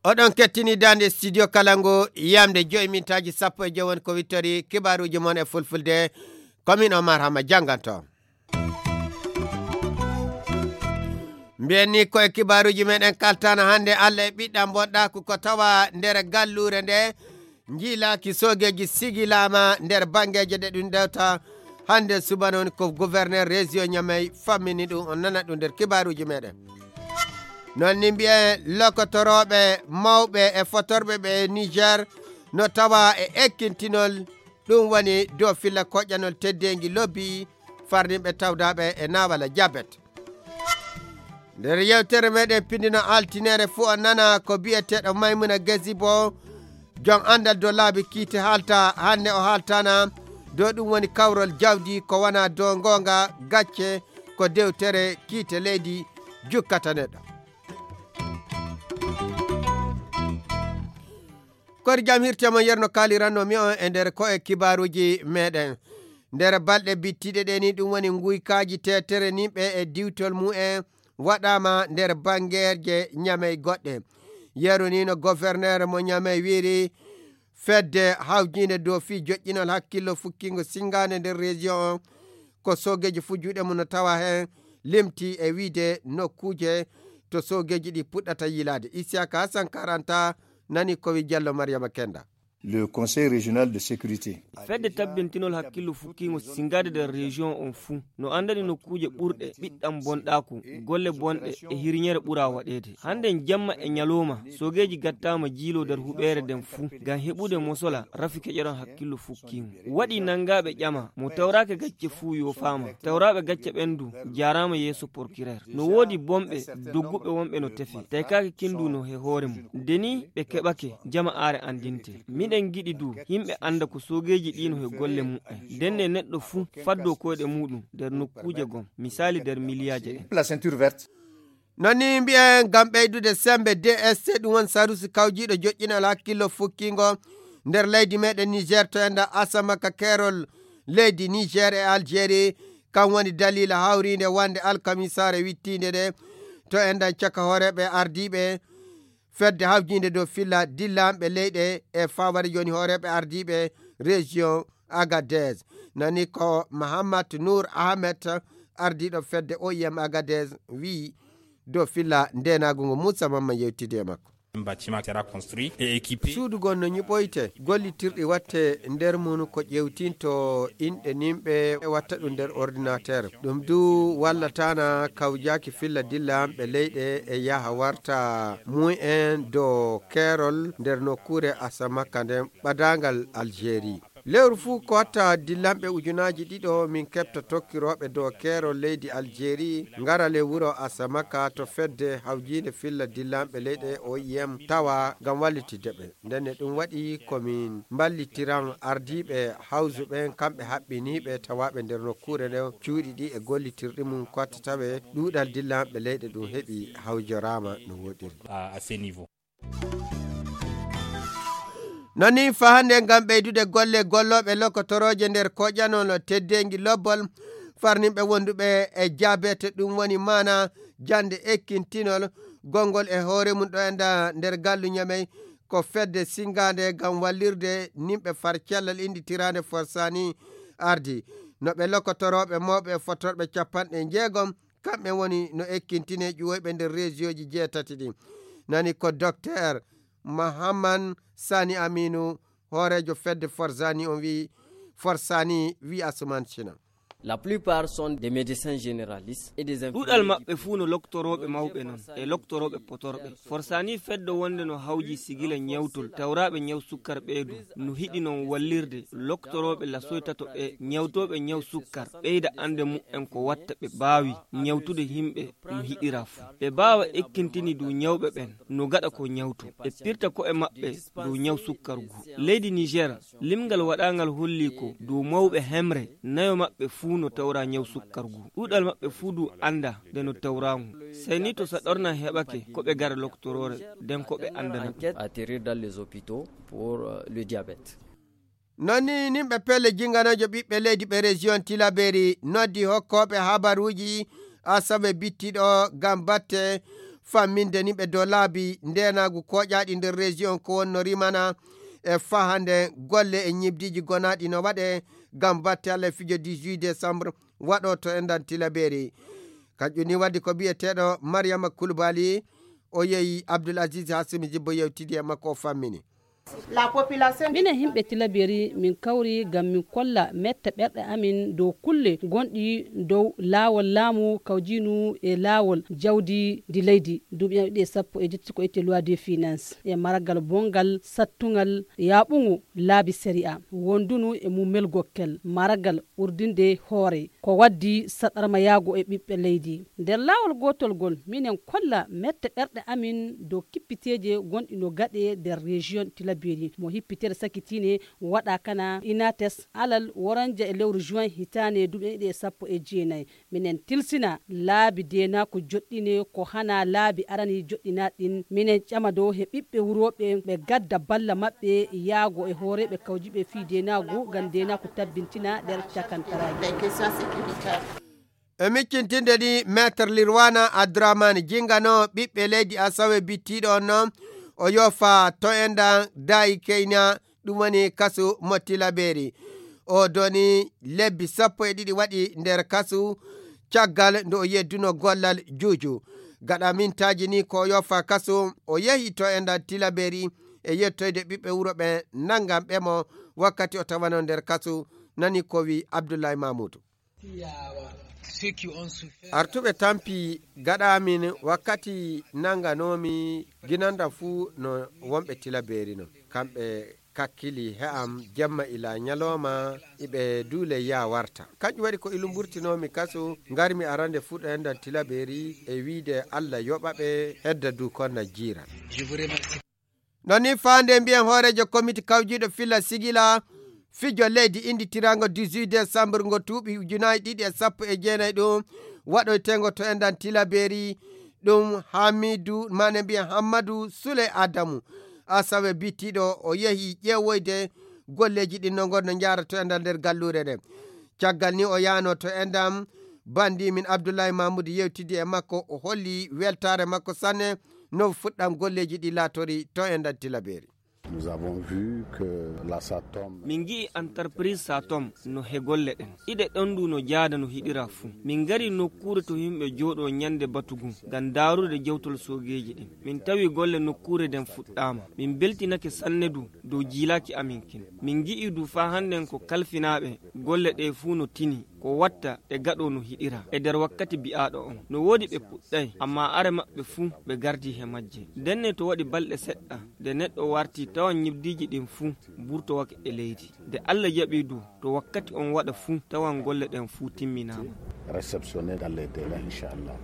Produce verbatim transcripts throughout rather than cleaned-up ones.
Oɗon kettini daande studio Kalangu, yamde joyi mintaaji sappo e joyi woni ko wittori kibaaruuji mon e fulfulde. Ko min Omar Hama jannganto. Mbiyen ni ko e kibaaruuji meɗen kaltana hannde, Allah e ɓiɗɗam bonɗaaku ko tawa nder galluure nde njiilaaki soogeeji sigilaama nder banngeeje ɗe ɗum ɗewta. Hannde subana woni ko gouverneur région Niamey fammini ɗum, on nana ɗum nder kibaaruuji meɗen. Noon ni mbiyen lokotorooɓe mawɓe e fotorɓe ɓe Niger no tawa e ekkintinol, ɗum woni dow filla koƴƴanol teddeengi lobbi farninɓe tawdaaɓe e naawala jabet. Nder yewtere meɗen pindino altineere fuu on nana ko biyeteeɗo Maymuna Gazibo, jom anndal dow laabi kiite haalta, hannde o haaltana dow ɗum woni kawrol jawdi ko wona dow ngoonga gacce ko dewtere kiite leydi jukkata neɗɗo. Kori jam hirte mon yerno kaaliranno mi on e nder ko e kibaaruuji meɗen. Nder balɗe bittiɗe ɗe ni ɗum woni nguykaaji teetere ni ɓe e diwtol mumen waɗaama nder banngeeje Ñamey goɗɗe. Yeru ni no gouverneur mo Ñamey wiiri fedde hawjiinde dow fii joƴƴinol hakkillo fukkiingo sinngaande nder région on ko soogeeji fuu juuɗe mum no tawa heen limti e wiide nokkuuje to soogeeji ɗi puɗɗata yiilaade. Isiyaka Hassan Karanta nani ko wi Jallo Mariama Kenda. Le Conseil régional de sécurité. Fedde tabbintinol hakkillo fukkiingo sinngaade nder région on fuu no anndani nokkuuje ɓurɗe ɓiɗɗam bonɗaaku, golle bonɗe e hirñere ɓura waɗeede. Hannden jamma e ñalooma, soogeeji gattaama jiiloo nder huɓeere nden fuu ngam heɓude mosola rafi keƴoran hakkillo fukkiingo. Waɗi nanngaaɓe ƴama mo tawraaka gacce fuu yoofaama, tawraaɓe gacce ɓen du jaaraama yeeso porkireer. No woodi bonɓe dogguɓe wonɓe no tefe, taykaaki kindu no he hoore mum. Nde ni ɓe keɓake, jama aare anndinte. Miɗen ngiɗi du yimɓe annda ko soogeeji ɗi no he golle mumen. Ndenne neɗɗo fuu faddoo koyɗe muuɗum nder nokkuuje gom, misaali nder miliyaaje ɗen. La ceinture verte. Non ni mbiyen ngam ɓeydude semmbe D S C, ɗum woni sarusi kawjiiɗo joƴƴinal hakkillo fukkiingo nder leydi meɗen Niger to enda Asamaka keerol leydi Niger e Algérie. Kan woni daliila hawriinde wonde alkamisaare wittiinde nde to enda caka hooreeɓe ardiiɓe fedde hawjiinde dow filla dillanɓe leyɗe e fawade jooni hooreeɓe ardiiɓe région Agadez. Nani ko Mahamat Nour Ahmed, ardiiɗo fedde O I M Agadez, wi'i dow filla ndenaagu ngu Moussa Mamman yewtidi e makko. Bâtiment sera construit et équipé. Suudu gon no ñiɓoyte, gollitirɗi watte nder mum ko ƴewtinto inɗe nimɓe e watta ɗum nder ordinateur. Ɗum du wallataana kawjaaki filla dillanɓe leyɗe e yaha warta mumen dow keerol nder nokkuure Asamaka nden ɓadaangal Algérie. Lewru fuu ko watta dillanɓe ujunaaji ɗiɗo min keɓta tokkirooɓe dow keerol leydi Algérie ngara le wuro Asamaka to fedde hawjiinde filla dillanɓe leyɗe O I M tawa ngam wallitidde ɓe. Ndenne ɗum waɗi ko min mballitiran ardiiɓe hawju ɓen kamɓe haɓɓiniiɓe tawaaɓe nder nokkuure nden cuuɗi ɗi e gollitirɗi mum ko watta tawe ɗuuɗal dillanɓe leyɗe ɗum heɓi hawjoraama no woɗiri. À, à ce niveau. Non ni fahande ngam ɓeydude golle gollooɓe lokotorooje nder koƴanol teddeengi lobbol farninɓe wonduɓe e jabete, ɗum woni maana jannde ekkintinol gonngol e hoore mum ɗo enda nder gallu Ñamey ko fedde sinngaande ngam wallirde nimɓe far cellal innditiraande Forsani ardi. No ɓe lokotorooɓe mawɓe e fotorɓe capanɗe njeegom kamɓe woni no ekkintinee ƴuwoyɓe nder reesiyooji jeetati ɗin. Nani ko Docteur Mahaman Sani Aminu, hooreejo fedde Forzani on wi'i, Forsani wi'i Asuman Sina. La plupart sont des médecins généralistes et des infirmiers. Ɗuɗal maɓɓe fuu no loktorooɓe mawɓe non e loktorooɓe potorɓe. Forsani feddo wonde no hawji sigila ñawtol tawraaɓe ñaw sukkar ɓeydu no hiɗi non wallirde loktorooɓe lasoy tato ɓe ñawtooɓe ñaw sukkar ɓeyda annde mumen ko watta ɓe baawi ñawtude yimɓe no hiɗira fuu. Ɓe baawa ekkintini du ñawɓe ɓen no gaɗa ko ñawto. Ɓe pirta ko'e maɓɓe dow ñaw sukkar ngu. Leydi Niger, limgal waɗaangal holli ko dow mawɓe hemre nayo maɓɓe fuu no tawra ñaw sukkar ngu. Ɗuɗal maɓɓe fuu du annda nde no tawra ngu. Sey ni to saɗorna heɓake ko ɓe gara loktoroore, nden ko ɓe anndana. Enquête atterrir dans les hôpitaux pour, euh, le diabète. Noon ni, nimɓe pelle jinganoojo ɓiɓɓe leydi ɓe région Tilaberi noddi hokkooɓe habaruuji asawe bittiɗo ngam batte famminde nimɓe dow laabi ndeenaagu kooƴaaɗi nder région ko wonno rimana e fahande golle e ñibdiiji gonaaɗi no waɗe ngam batte Allah e fijo dix-huit décembre waɗo to endan Tilaberi. Kanƴum ni waddi ko biyeteeɗo Mariama Kulbali, o yehi Abdul Aziz Hasimi Jibbo yewtidi e makko o fammini. Minen yimɓe Tilaberi min kawri ngam min kolla mette ɓerɗe amin dow kulle gonɗi dow laawol laamu kawjinu e laawol jawdi ndi leydi duuɓi ɗiɗi e sappo e jetti ko itte loi de finance e maragal bongal sattungal yaaɓungu laabi sariya wondunu e mum melgokkel maragal urdinde hoore ko waddi saɗarmayaago e ɓiɓɓe leydi. Nder laawol gootol ngol, minen kolla mette ɓerɗe amin dow kippiteeje gonɗi no gaɗe nder région Tilaberi mo hippitere sakitiine waɗa kana inates alal woranja e lewru juin hitaande duuɓi ɗiɗi e sappo e jeenayi. Minen tilsina laabi deenaaku joɗɗine ko hana laabi arani joɗɗinaaɗi ɗin. Minen ƴama dow he ɓiɓɓe wurooɓe ɓe gadda balla maɓɓe yaago e hooreeɓe kawjiiɓe fii deenaagu ngam deenaaku tabbintina nder cakantaraaji. E miccintinde ni, Maître Lirwana Abdourahmane jingano ɓiɓɓe leydi Asawe bittiiɗo on noon, o yoofa to enɗan daayi keyna, ɗum woni kasu mo Tilaberi. O doni lebbi sappo e ɗiɗi waɗi nder kasu, caggal nde o yedduno gollal juuju. Gaɗa mintaaji ni ko o yoofa kasu, o yehi to enɗan Tilaberi e yettoyde ɓiɓɓe wuro ɓe nanngan ɓe mo wakkati o tawano nder kasu, nani ko wi Abdullahi Mamuudu. Artuɓe tampi gaɗa amin wakkati nanganoomi ginanda fuu no wonɓe Tilaberi non. Kamɓe kakkili he am jemma ila ñalooma iɓe duule ya warta. Kanƴum waɗi ko ilu mburtinoomi kaso ngarmi arande fuu ɗo enɗan Tilaberi e wiide Allah yoɓa ɓe hedda du konna jiiran. Non ni faande mbiyen hooreejo komiti kawjiiɗo filla sigila fijo leydi innditirango dix-huit décembre ngo tuuɓi ujunaaji ɗiɗi e sappo e jeenayi ɗum waɗoytengo to enɗan Tilaberi ɗum Hamidu maane mbiyen Hammadu Sule Adamu Asawe bittiiɗo o yehi ƴeewoyde golleeji ɗin no ngonno njaara to enɗan nder galluure nde. Caggal ni o yaano to enɗan bandi min Abdullahi Mamudu yewtidi e makko o holli weltaare makko sanne no fuɗɗam golleeji ɗi laatori to enɗan Tilaberi. Nous avons vu que la Satom. Min ngi'i antarprise Satom no he golle ɗen. Iɗe ɗon ndu no jaada no hiɗira fuu. Min ngari nokkuure to himɓe jooɗo ñande batugu ngam daarude jawtol soogeeji ɗin. Min tawi golle nokkuure nden fuɗɗaama. Min beltinake sanne du dow jiilaaki amin kin. Min ngi'i du faa hannden ko kalfinaaɓe golle ɗe fuu no tini. Ko watta ɗe gaɗo no hiɗira e nder wakkati bi'aaɗo on. No woodi ɓe puɗɗay, ammaa are maɓɓe fuu ɓe gardi he majje. Ndenne to waɗi balɗe seɗɗa, nde neɗɗo warti tawan ñibdiiji ɗin fuu burtowake e leydi. Nde Allah jaɓi du, to wakkati on waɗa fuu tawan golle ɗen fuu timminaama. Réceptionné dans les délais, inchallah.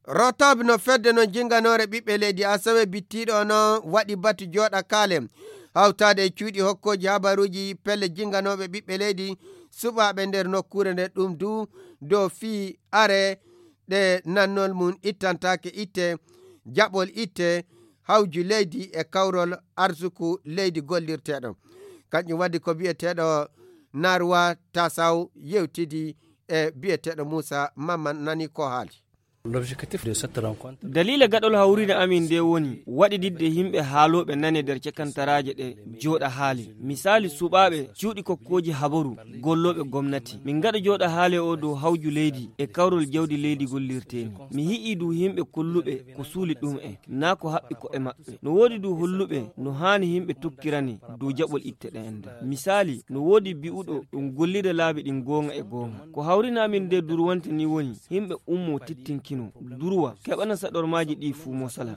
Rotab no fedde non jinganoore ɓiɓɓe leydi Asawe bittiiɗo non waɗi batu jooɗa kaale hawtaade e cuuɗi hokkooji habaruuji pelle jinganooɓe ɓiɓɓe leydi suɓaaɓe nder nokkuure nde ɗum du dow fii are ɗe nannol mum ittantaake itte jaɓol itte hawju leydi e kawrol arsuku leydi gollirteeɗo. Kanƴum waddi ko biyeteeɗo Narwa Tasaw yewtidi e biyeteeɗo Muusa Mamman nani ko haali. Daliila gaɗol hawriinde amin ndee woni waɗididde yimɓe haalooɓe nane nder cakantaraaje ɗe jooɗa haali. Misaali suɓaaɓe cuuɗi kokkooji habaru gollooɓe gomnati. Min ngaɗa jooɗa haali o dow hawju leydi e kawrol jawdi leydi gollirteeni. Mi hi'i du yimɓe kolluɓe ko suuli ɗum en naa ko haɓɓi ko'e maɓɓe. No woodi du holluɓe no haani yimɓe tokkirane dow jaɓol itte ɗe ende. Misaali, no woodi bi'uɗo ɗum gollida laabi ɗin goonga e goonga. Ko hawrina amin nde durwante ni woni yimɓe ummo tittinkino durwa keɓana saɗormaaji ɗi fuu mosala.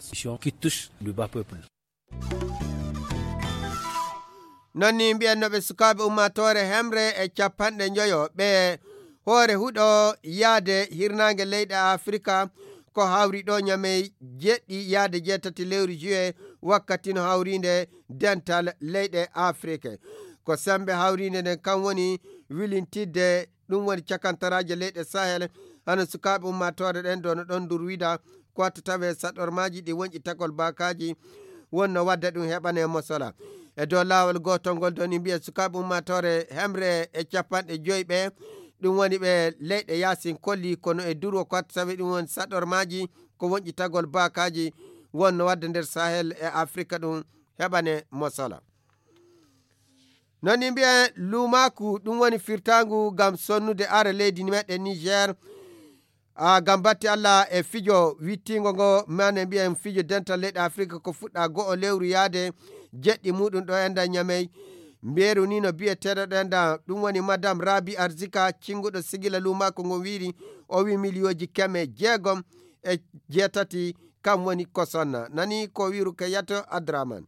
Non ni mbiyannoɓe sukaaɓe ummaatoore hemre e capanɗe njoyo ɓe hoore huɗo yaade hirnaange leyɗe Afrika ko hawri ɗo ñamey jeɗɗi yaade jeetati lewru juillet wakkati no hawriinde dental leyɗe Afrika. Ko sembe hawriinde nden kan woni wilintidde ɗum woni cakantaraaje leyɗe Sahel hano sukaaɓe ummaatoore ɗen dono ɗon durwida ko watta tawe saɗormaaji ɗi wonƴi tagol baakaaji wonno wadda ɗum heɓane mosola. E dow laawol gootol ngol ɗon, mbiya sukaaɓe ummaatoore hemre e capanɗe joyi ɓe, ɗum woni ɓe leyɗe yaasin kolli, kono e durwo kot sawi ɗum woni saɗormaaji ko wonƴitagol baakaaji wonno wadde nder Sahel e Afrika ɗum heɓane mosala. Non ni mbiyen luumaaku, ɗum woni firtaangu ngam sonnude are leydi meɗen Niger. A gam batti Allah e fijo wittingo ngo, mane mbiyen fijo dental leyɗe Afrika ko fuɗɗa go'o lewru yaade jeɗɗi muɗum ɗo enda Ñamey. Mbeeru ni no biyeteeɗo ɗo enda, ɗum woni Madame Rabi Arzika, cinguɗo sigila luumaaku ngon wiiri, o wi miliyooji keme jeegom e jeetati kam woni ko sonna. Nani ko wiiru Keyato Adraman.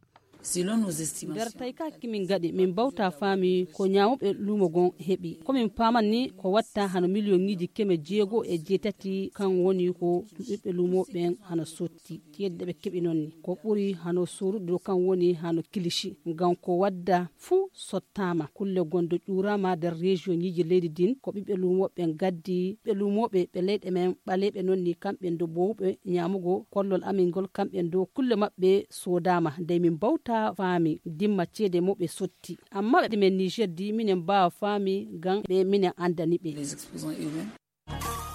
Nder taykaki min gaɗi, min bawta faami ko ñaamuɓe luumo gon heɓi. Ko min paaman ni ko watta hano miliyoŋiiji keme jeego e jeetati, kan woni ko ɓiɓɓe luumo ɓen hano sotti. Ceede ɗe ɓe keɓi non ni ko ɓuri hano sorude ɗo, kan woni hano kilishi. Ngam ko wadda fuu sottaama. Kulle gon do ƴuurama nder rejiyoŋiiji leydi din ko ɓiɓɓe luumo ɓen gaddi. Ɓiɓɓe luumo ɓe, ɓe leyɗe men ɓaleeɓe non ni kamɓe do boowuɓe ñaamugo kollol amin ngol, kamɓe do kulle maɓɓe soodaama. Dey min bawta faami dimma ceede mo ɓe sotti. Amma ɓe men Niger di minen mbaawa faami ngam ɓe minen andani ɓe.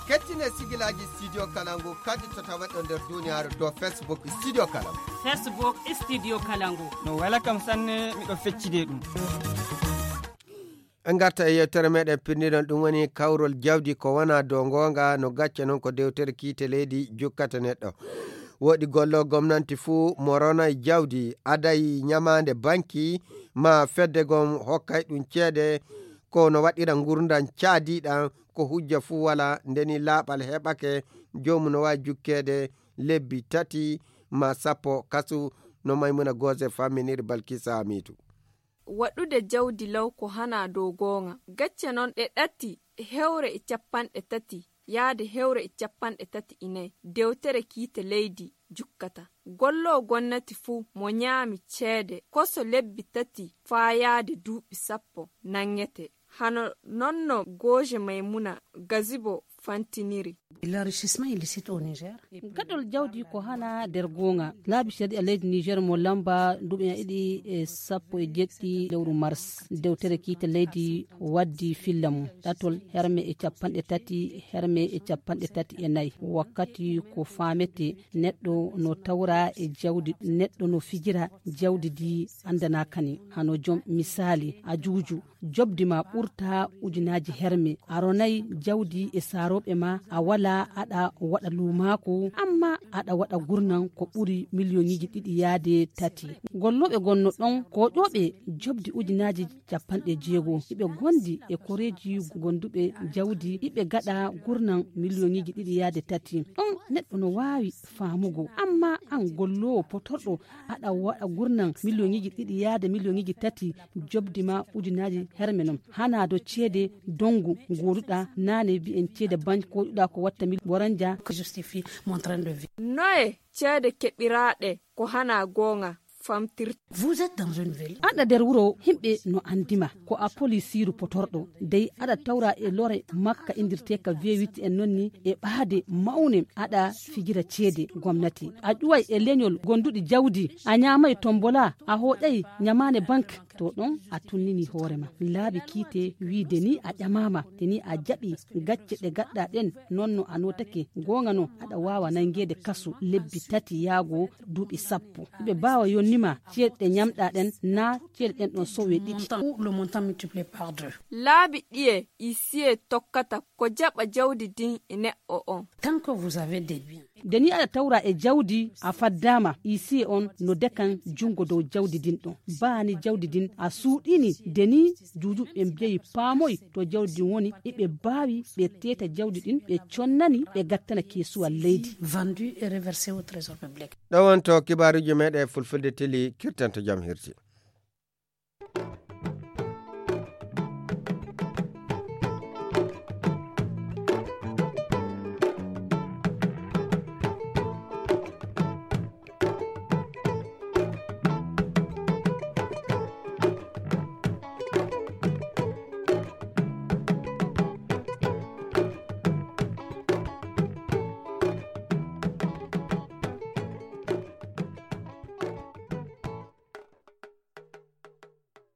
Kettine sigilaaji Studio Kalangu kadi to taweɗo nder duniyaaru dow Facebook Studio Kalangu. Facebook Studio Kalangu. No wela kam sanne, miɗo feccide ɗum. En ngarta e yewtere meɗen pindiɗon, ɗum woni kawrol jawdi ko wona dow goonga, no gacca non ko dewtere kiite leydi jukkata neɗɗo. Woɗi gollo gomnanti fuu mo ronay jawdi, aday ñamaande banki, ma fedde gom hokkay ɗum ceede, ko no waɗira ngurndan caadiɗan, ko hujja fuu wala, ndeni laaɓal heɓake, joomu no waawi jukkeede lebbi tati ma sappo kasu, no Maymuna Goose famminiri Balkisa Hamiidu. Waɗude jawdi law ko hana dow gooŋa. Gacce non ɗe ɗati, hewre e capanɗe tati yaade hewre e capanɗe tati e nayi, dewtere kiite leydi jukkata. Gollo gonnati fuu mo ñaami ceede koso lebbi tati faa yaade duuɓi sappo nanŋete. Hano non no Gooje Maymuna Gazibo fantiniri. L'enrichissement illicite au Niger. Gaɗol jawdi ko hana nder gooŋa. Laabi shari'a leydi Niger mo lamba duuɓi ɗiɗi e sappo e jeɗɗi lewru mars. Dewtere kiite leydi waddi filla mum. Ɗatol herme e capanɗe tati, herme e capanɗe tati e nayi. Wakkati ko faamete neɗɗo no tawra e jawdi, neɗɗo no fijira jawdi di andanaaka ni. Hano jom misaali, ajuuju, jobdi ma ɓurta ujunaaji herme. A ronay jawdi e saarooɓe ma, a wala aɗa waɗa luumaaku, amma aɗa waɗa gurnan ko ɓuri miliyoŋiiji ɗiɗi yaade tati. Gollooɓe gonno ɗon, koƴooɓe jobdi ujunaaji capanɗe jeego. Iɓe gondi e koreeji gonduɓe jawdi, iɓe gaɗa gurnan miliyoŋiiji ɗiɗi yaade tati. Ɗon neɗɗo no waawi faamugo, amma an golloowo potorɗo aɗa waɗa gurnan miliyoŋiiji ɗiɗi yaade miliyoŋiiji tati, jobdi ma ujunaaji herme non. Hana do ceede dongu gooduɗa naane mbi'en ceede banki koɗuɗa ko watta mil boranja. Que justifie mon train de vie. Noye ceede keɓiraaɗe ko hana gooŋa famtirta? Vous êtes dans une ville. Aɗa nder wuro, himɓe no andima ko a polisiiru potorɗo. Dey aɗa tawra e lore makka indirteeka V huit en non ni e ɓaade mawne aɗa fijira ceede gomnati. A ƴuway e leñol gonduɗi jawdi, a ñaamay tombola, a hooƴay ñamaane bank. To ɗon a tunnini hoore ma. Laabi kiite wiide ni a ƴamaama, te ni a jaɓi gacce ɗe gaɗɗa ɗen, non no a notake gooŋa non, aɗa waawa nangeede kasu lebbi tati yaago duuɓi sappo. Iɓe baawa yonnima ceede ɗe ñamɗa ɗen, na ceede ɗen ɗon sowe ɗiɗi. Ou le montant multiplié par deux. Laabi ɗiye huissier tokkata ko jaɓa jawdi din e neɗɗo on? Tant que vous avez des biens. Nde ni aɗa tawra e jawdi, a faddaama, huissier on no dekan junngo dow jawdi din ɗon. Baani jawdi din a suuɗini, nde ni juujuɓe mbiyayi paamoy to jawdi din woni, iɓe baawi ɓe teeta jawdi din, ɓe connani, ɓe gattana keesuwal leydi. Vendu et reversé au trésor public. Ɗo wonto kibaaruuji meɗen fulfulde teli, kirtanto jam hirti.